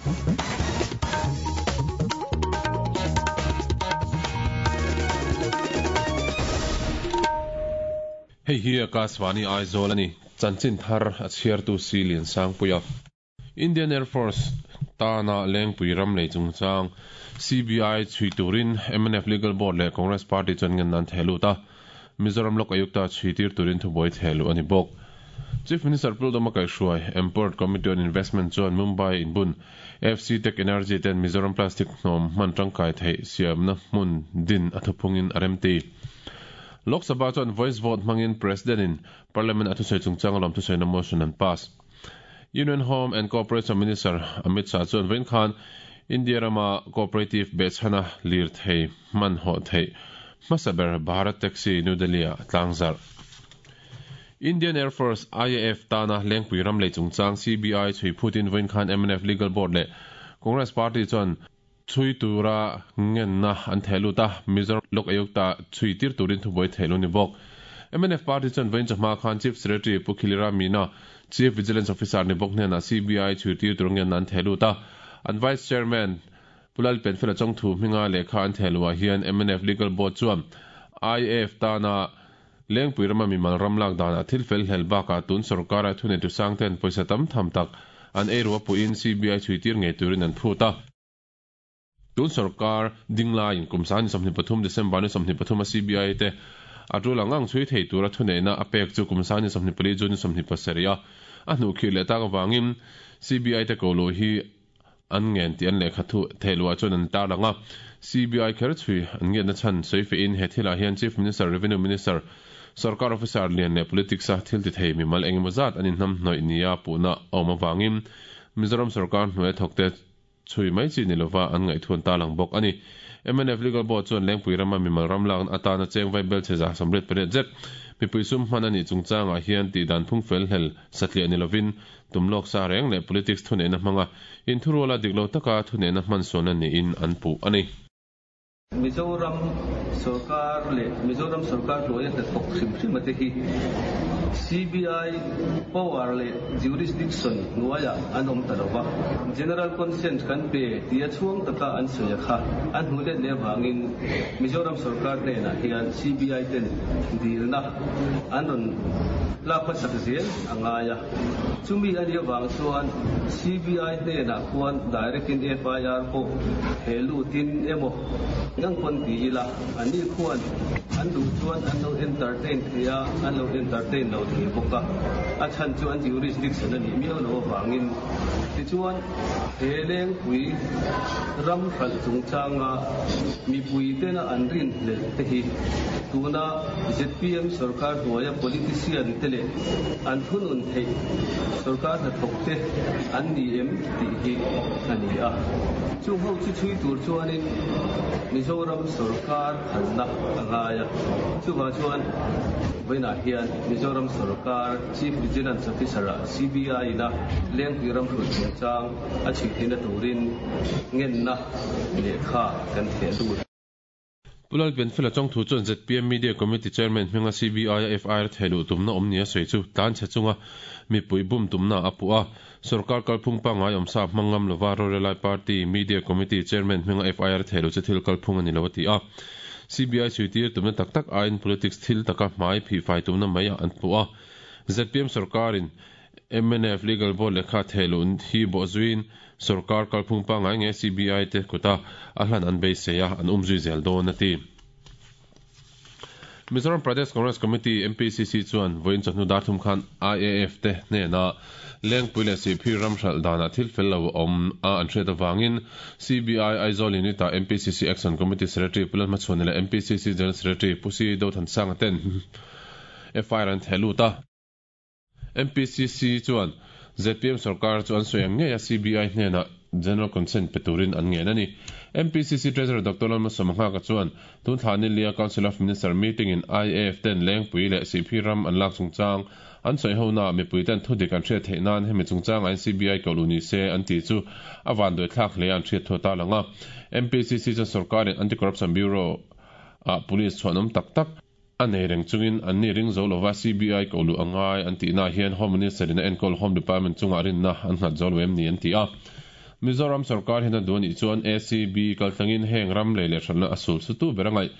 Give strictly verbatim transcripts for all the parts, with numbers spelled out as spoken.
Hei hi Akashvani Aizawl ani chanchin thar a chhiartu si lian sangpuia Indian Air Force tana lengpui ram lei chungchang C B I chui turin M N F Legal Board leh Congress Party chuan ngen nan thehlut a Mizoram Lok Ayukta chui tir turin thuboi thehlu ani bawk Chief Minister Puldoma Kaihruai Import Committee on Investment chuan Mumbai inbun F C Tech Energy ten Mizoram Plastic hnom hman tangkai thei siamna hmun din a thuphungin a remti Lok Sabha chuan voice vote hmangin President in Parliament a thusoi chungchang lawm thusoina motion an pass. Union Home and Cooperation Minister Amit Shah chuan vawiin khan India rama cooperative behchhana lir thei hman haw thei hmasaber Bharat Taxi New Delhi a tlangzar. Indian Air Force I A F tana lengpui ram lei chungchang C B I chui phutin vawiin khan M N F Legal Board leh Congress Party chuan chui tura ngenna an thehlut a Mizoram Lok Ayukta chui tir turin thuboi thehlu ni bawk. M N F Party chuan vawiin chawhma khan Chief Secretary Pu Khilira Meena Chief Vigilance Officer ni bawk hnenah C B I chui tir tur ngenna an thehlut a an Vice Chairman Pulal Penfela Chongthu hminga lehkha an thehluah hian M N F Legal Board chuan I A F tana lengpui rama mimal ram lak danah thil fel hlel bakah tun sarkara thuneitu sangten pawisa tam tham tak an ei ruwa puhin C B I chui tir ngei turin an phut a. Tun sarkar dingla in kumsani sawmhnih pathum December ni sawmhnih pathum a C B I te a tul ang chui thei tura thuneina a pek chu kumsani sawmhnih pali June sawmhnih pasarih a a hnu khir leh tak awangin C B I te ko lo hi an ngen ti an lehkha thu thehluah chuan an tar lang a C B I kher chui an ngen na chhan soi in he thilah hian Chief Minister Revenue Minister sarkar officer lian leh politics a thil ti thei mimal engemaw zat an inhnam hnawih nia puhna a awm awangin Mizoram sarkar hnuai thawkte chui mai chi ni lova an ngaih ta lang bawk ani. M N F Legal Board chuan lengpui rama mimal ram lak atana cheng vai bel cheza samret pariat zet mipui sum hman ani chungchangah hian ti dan phung fel hlel satliah ni lovin tumlok sa reng leh politics thuneihna hmanga in thuruala diklo taka thuneihna hman sawn ani in an puh ani. Mizoram sarkar leh Mizoram sarkar hnuaia hnathawk hrim hrim ate hi C B I power leh jurisdiction hnuaia an awm ta lova general consent kan pe tia chhuang taka an sawi kha an hnu let leh wangin Mizoram sarkar hnenah hian C B I ten dilna an rawn lak hmasak zel a ngai a chumi ani awang chuan C B I hnenah khuan direct in F I R pawh he lutin emaw ngang pawn ti ila ani khuan an duh chuan an lo entertain theia an lo entertain lo thei bawk a a chhan chu an jurisdiction ani miau lo awangin tichuan he lengpui ram hralh chungchanga mipui tena an rin hlel te hi tuna Z P M sarkar hnuaia politician te leh an thunun thei sarkar hnathawk te an ni em tih hi ani a chung ho chu chui tur chuanin Mizoram sarkar phalna a ngai a chuwa chuan vawiinah hian Mizoram sarkar Chief Vigilance Officer a C B I na lengpui ram hrulh chungchang a chhui theihna turin ngenna lehkha kan theh lut. Pulal Penfela Chongthu chuan Z P M Media Committee Chairman hminga C B I a F I R thehluh tumna awm ni a sawi chu tlan chhe chunga mipui bum tumna a puh a sarkar kalphung pangngai awmsa hmangam lova Rorelai Party Media Committee Chairman hminga F I R thehluh chu thil kalphung ani lo a ti a C B I chui tir tumna tak tak aiin politics thil taka hmai phi fai tumna mai a an puh a Z P M sarkarin M N F Legal Board lehkha thehluh hi bawh zuiin sarkar kalphung pangngai nge C B I te kuta a hlan an beisei a an umzui zel dawn a ti. Mizoram Pradesh Congress Committee M P C C chuan vawiin chawhnu dar thum khan I A F te hnena lengpui leh sihphir ram hralh danah thil fel lo awm a an hriat awangin C B I Aizawl Unit ah M P C C Action Committee Secretary Pu Lalhmachhuani leh M P C C General Secretary Pu C Dothansanga ten F I R an thehlut a. M P C C chuan Z P M sarkar chu an sawi ang ngei a C B I hnenah General Consent pe turin an ngen ani. M P C C Treasurer Doctor Lalmalsawma Nghaka chuan tun thla ni lia Council of Minister meeting in I A F ten lengpui leh sihphir ram an lak chungchang an sawi hona mipui ten thudik an hriat theih nan hemi chungchang an C B I ko lu ni se an ti chu a van doi thlak hle an hriat thu ta langa. M P C C chuan sarkarin Anti-Corruption Bureau a police chuan awm tak tak a nei reng chungin an ni ring zo lova C B I ko lu angai an ti na hian Home Minister in a enkol Home Department chunga rinna an nghat zo lo em ni an ti a. Mizoram sarkar hian a duh anih chuan A C B kaltlangin heng ram lei leh hralhna a sul sutu ber a ngaih.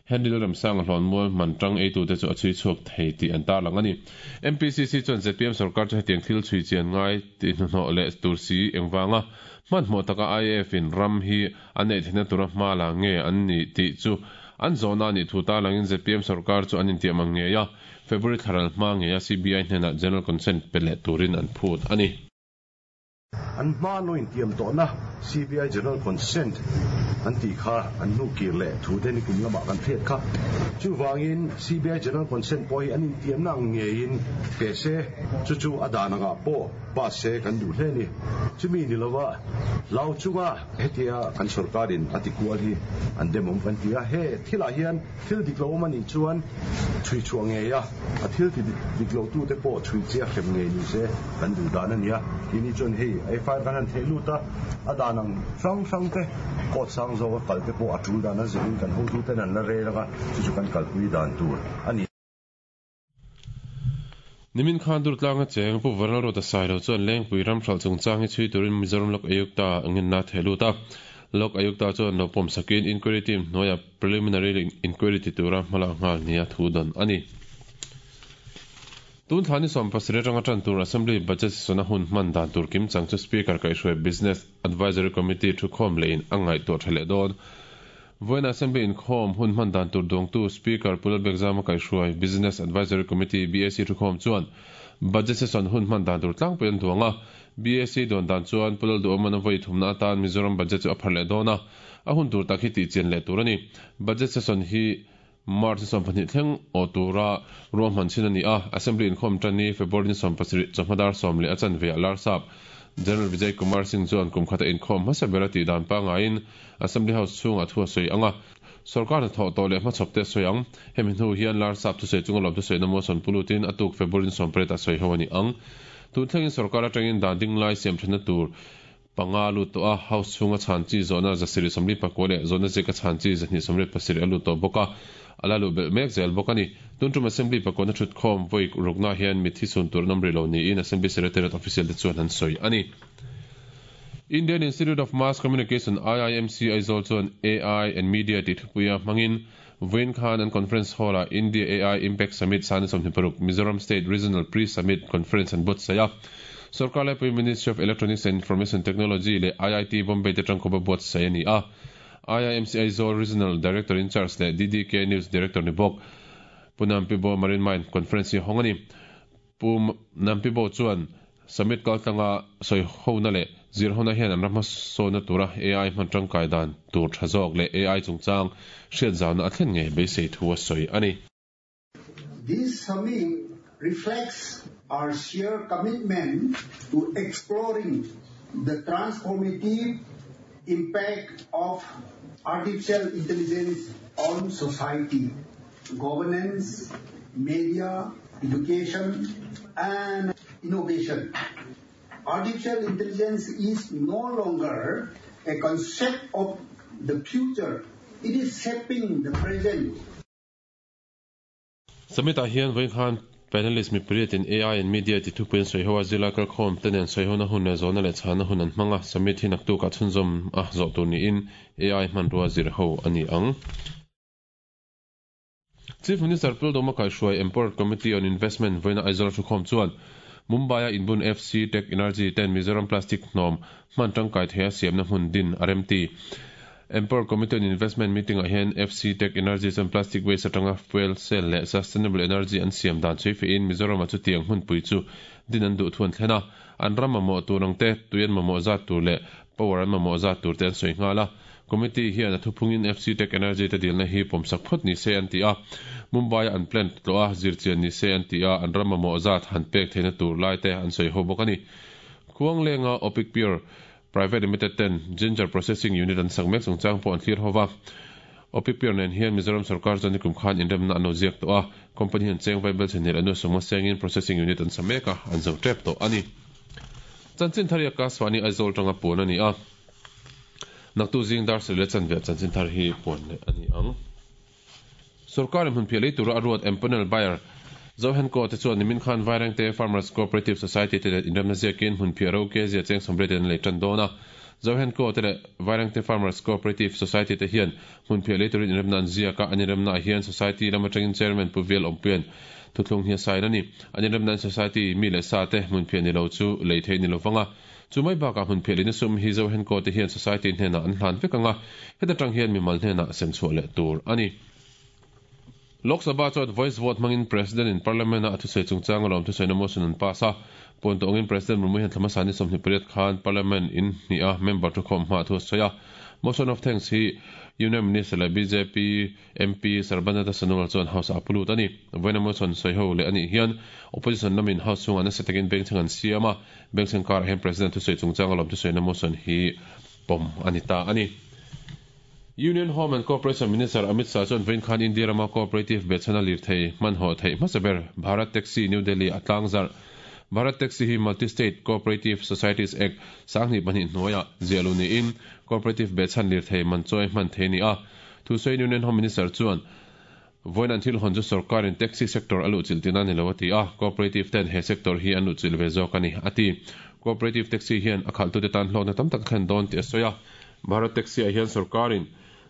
Henry Lalremsanga hlawnmual hman tang eitute chu a chhui chhuak thei tih an tarlang a ni. M P C C chuan Z P M sarkar chu hetiang thil chhui chian ngai tih hnuhnawh leh tur si engvanga hmanhmawh taka I A F in ram hi an neih theihna tura hma la nge an ni tih chu an zawhna anih thu tarlangin Z P M sarkar chu an intiam ang ngei a, February thlaral hma ngei a C B I hnenah general consent pe leh turin an phut a ni. An hma lo intiam tawhna C B I general consent an tih kha an hnu kir leh thu te ni kum lamah kan hriat kha. Chuvangin C B I general consent pawh hi an intiamna ang ngeiin pe se, chu chu a dan angah pawh pass se kan duh hle ni. Chumi ni lova hlau chunga hetia kan sarkarin a ti kual hi an dem awm kan ti a. He thilah hian thil dik lo awm anih chuan chhui chhuah ngei a, a thil ti dik lo tu te pawh chhui chia hrem ngei ni se kan duh dan a ni a. Tini chuan hei F I R kan han theh lut a, a dan ang hrang hrang te court sang zawk a kal te pawh a tul dan a zirin kan hotu ten an la rel anga, chu chu kan kalpui dan tur a ni. Nimin khan Durtlanga cheng Pu Vanlal Ruata Sailo chuan Lengpui ram hralh chungchang hi chhui turin Mizoram Lok Ayukta ngenna theh lut a. Lok Ayukta chuan lo pawm sakin inquiry team hnuaia preliminary inquiry ti tura hmala nghal nia thu dan a ni. Tun thlani sawm pasarih atanga tan tur Assembly budget session-a hun hman dan tur kim chang chu Speaker kaihhruai Business Advisory Committee thu khawm lehin a ngaihtuah tha leh dawn. Vawiin Assembly inkhawm hun hman dan tur duangtu Speaker Pu Lalbiakzama kaihhruai Business Advisory Committee B A C thu khawm chuan budget session hun hman dan tur tlangpui an duang a. B A C duan dan chuan Pu Lalduhawman a vawi thumna atan Mizoram budget chu a phar leh dawn a, a hun tur tak hi tih chian leh tur a ni. Budget session hi March ni sawm pahnih thleng aw tura ruahman chin a ni a. Assembly inkhawm tan ni February ni sawm pasarih chawhmadar sawm leh a chanve a larsap General Vijay Kumar Singh chuan kum khata inkhawm hmasa ber a tih dan pangaiin Assembly House chhungah thu a sawi ang a. Sarkar hnathawh tawh leh hmachhawp te a sawi ang. Hemi hnu hian larsap thusawi chunga lawm thusawi na motion pulutin a tuk February ni sawm pariat a sawi ho a ni ang. Tun thlengin sarkar atangin dan ding lai siam thana tur panga lut tawh a, House chhunga chhan chi zawhna zasarih sawmli pakua leh zawhna zika chhan chi zahnih sawmriat pasarih a lut tawh bawk a, ala lu belh mek zel bawk a ni. Tun tum Assembly pakua thut khawm vawi rukna hian mithi sun tur an awm rih lo niin Assembly Secretariat official te chuan an sawi a ni. Indian Institute of Mass Communication I I M C Aizawl chuan A I and Media tih thupuia hmangin vawiin khan an conference hall-ah India A I Impact Summit sani sawmhnih paruk Mizoram State Regional Pre-Summit Conference an buatsaih a. Sarkar laipui Ministry of Electronics and Information Technology leh I I T Bombay te tangkawp a buatsaih a ni a. I I M C Aizawl Regional Director in charge leh D D K News Director ni bawk Pu Nampibo Marine Mine Conference hi hawng a ni. Pu Nampibo chuan summit kaltlanga sawi hona leh zir hona hian an ram hmasawna tura A I hman tangkai dan tur tha zawk leh A I chungchang hriat zauna a thlen ngei beisei thu a sawi a ni. This summit reflects our shared commitment to exploring the transformative impact of artificial intelligence on society, governance, media, education, and innovation. Artificial intelligence is no longer a concept of the future. It is shaping the present. Summit ah hian vawiin khan panelist mi pariat in A I and Media ti thupuiin sawi ho a zila kalkhawm te nen sawi hona hun leh zawhna leh chhana hun an hmang a. Summit hi naktuk ah chhunzawm a zawh tur niin A I hmanrua zir ho a ni ang. Chief Minister Pu Lalduhoma kaihhruai Empowered Committee on Investment vawiina Aizawl thukhawm chuan Mumbai a inbun F C Tech Energy ten Mizoram Plastic hnawm hman tangkai thei a siamna hmun din a rem ti. Empowered Committee on Investment meeting ah hian F C Tech Energy chuan plastic waste atanga fuel cell leh sustainable energy an siam dan chhui fein Mizoram a chu tiang hmun pui chu din an duh thu an thlen a. An ram mamawh tur ang te, tui an mamawh zat tur leh power an mamawh zat tur te an sawi nghal a. Committee hian a thuphungin F C Tech Energy te dilna hi pawmsak phawt ni se an ti a. Mumbai an plant tlo a zirchian ni se an ti a, an ram mamawh zat han pek theihna tur lai te an sawi ho bawk a ni. Khuang lenga Opic Pure Private Limited ten Ginger Processing Unit an sak mek chungchang pawh an thlir hova. Opic Pure nen hian Mizoram sarkar chuan nikum khan inremna an lo ziak tawh a. Company hian cheng vai bel chenhnih anu sawma sengin processing unit an sa mek a, an zo tep tawh a ni. Chanchin thar hi Akashvani Aizawl tanga puan a ni a. Naktu zing dar sarih leh chanve chanchin thar hi puan leh a ni ang. Sarkar in hmun phiah lei tura a ruat empanel buyer Zohen ko te chuan nimin khan Vairengte Farmers Cooperative Society te leh inremna ziakin hmun phiah ro ke zia cheng sawmriat in an lei tan dawn a. Zohenco te leh Vairengte Farmers Cooperative Society te hian hmunphiah lei turin inremna an ziak a, an inremnaah hian Society lam atangin Chairman Pu Vial Awmpuia'n thuthlung hi a sign a ni. An inremnain Society mi leh sa te hmunphiah ni lo chu lei theih ni lovang a, chu mai bakah hmunphiah leina sum hi Zohenco te hian Society hnenah an hlan vek ang a, heta tang hian mimal hnenah sem chhuah leh tur a ni. Lok Sabha chuan voice vote hmangin President in Parliament-a a thusawi chungchang alawm thusawiina motion an pass a. Puan tawngin President Murmu hian thlamasa ni sawmhnih pariat khan Parliament in hnih a member thukhawm hma thu a sawi a. Motion of thanks hi Union Minister leh B J P M P Sarbananda Sonowal chuan House ah a pu lut a ni. Vawiina motion sawi ho leh anih hian Opposition lamin House chhungah nasa takin bengchheng an siam a. Bengchheng karah hian President thusawi chungchang alawm thusawiina motion hi pawm a ni ta a ni. Union Home and Cooperation Minister Amit Shah chuan vawiin khan India rama cooperative behchhana lirthei hmanhawh theih hmasa ber Bharat Taxi New Delhi a tlangzarh. Bharat Taxi hi Multi State Cooperative Societies Act sanghnih pahnih hnuaiah ziah luh niin cooperative behchhan lirthei man chawi hman thei a ni a. Thusawiin Union Home Minister chuan vawiin an thil hawn chu sorkarin taxi sector a luhchilh tihna a ni lo a ti a, cooperative ten he sector hi an luhchilh ve zawk a ni a ti. Cooperative taxi hian a khalhtute tan hlawkna tam tak a thlen dawn tih a sawi a. Bharat Taxi ah hian sorkarin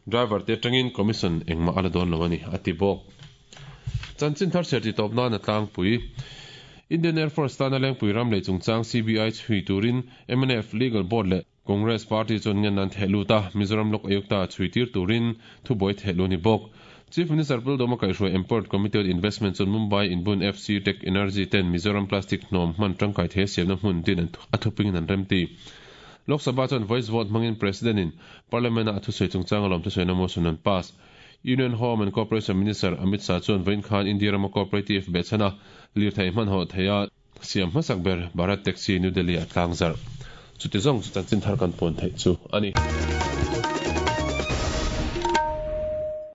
driver te atangin commission engmah a la dawn lo a ni a ti bawk. Chanchin thar chhiar titawp nan a tlangpui. Indian Air Force tana Lengpui ram lei chungchang C B I chhui turin M N F Legal Board leh Congress Party chuan ngen an theh lut a, Mizoram Lok Ayukta chhui tir turin thubuai theh lu ni bawk. Chief Minister Pu Lalduhoma kaihhruai Empowered Committee on Investment chuan Mumbai inbun F C Tech Energy ten Mizoram plastic hnawm hman tangkai thei a siamna hmun din a thupingin an remti. Lok Sabha chuan voice vote hmangin President in Parliament a a thusawi chungchang alawm thusawiina motion an pass. Union Home and Cooperation Minister Amit Shah chuan vawiin khan India rama cooperative behchhana lirthei hmanhawh theia siam hmasak ber Bharat Taxi New Delhi a tlangzarh. Chuti zawng chu chanchin thar kan puan theih chu a ni.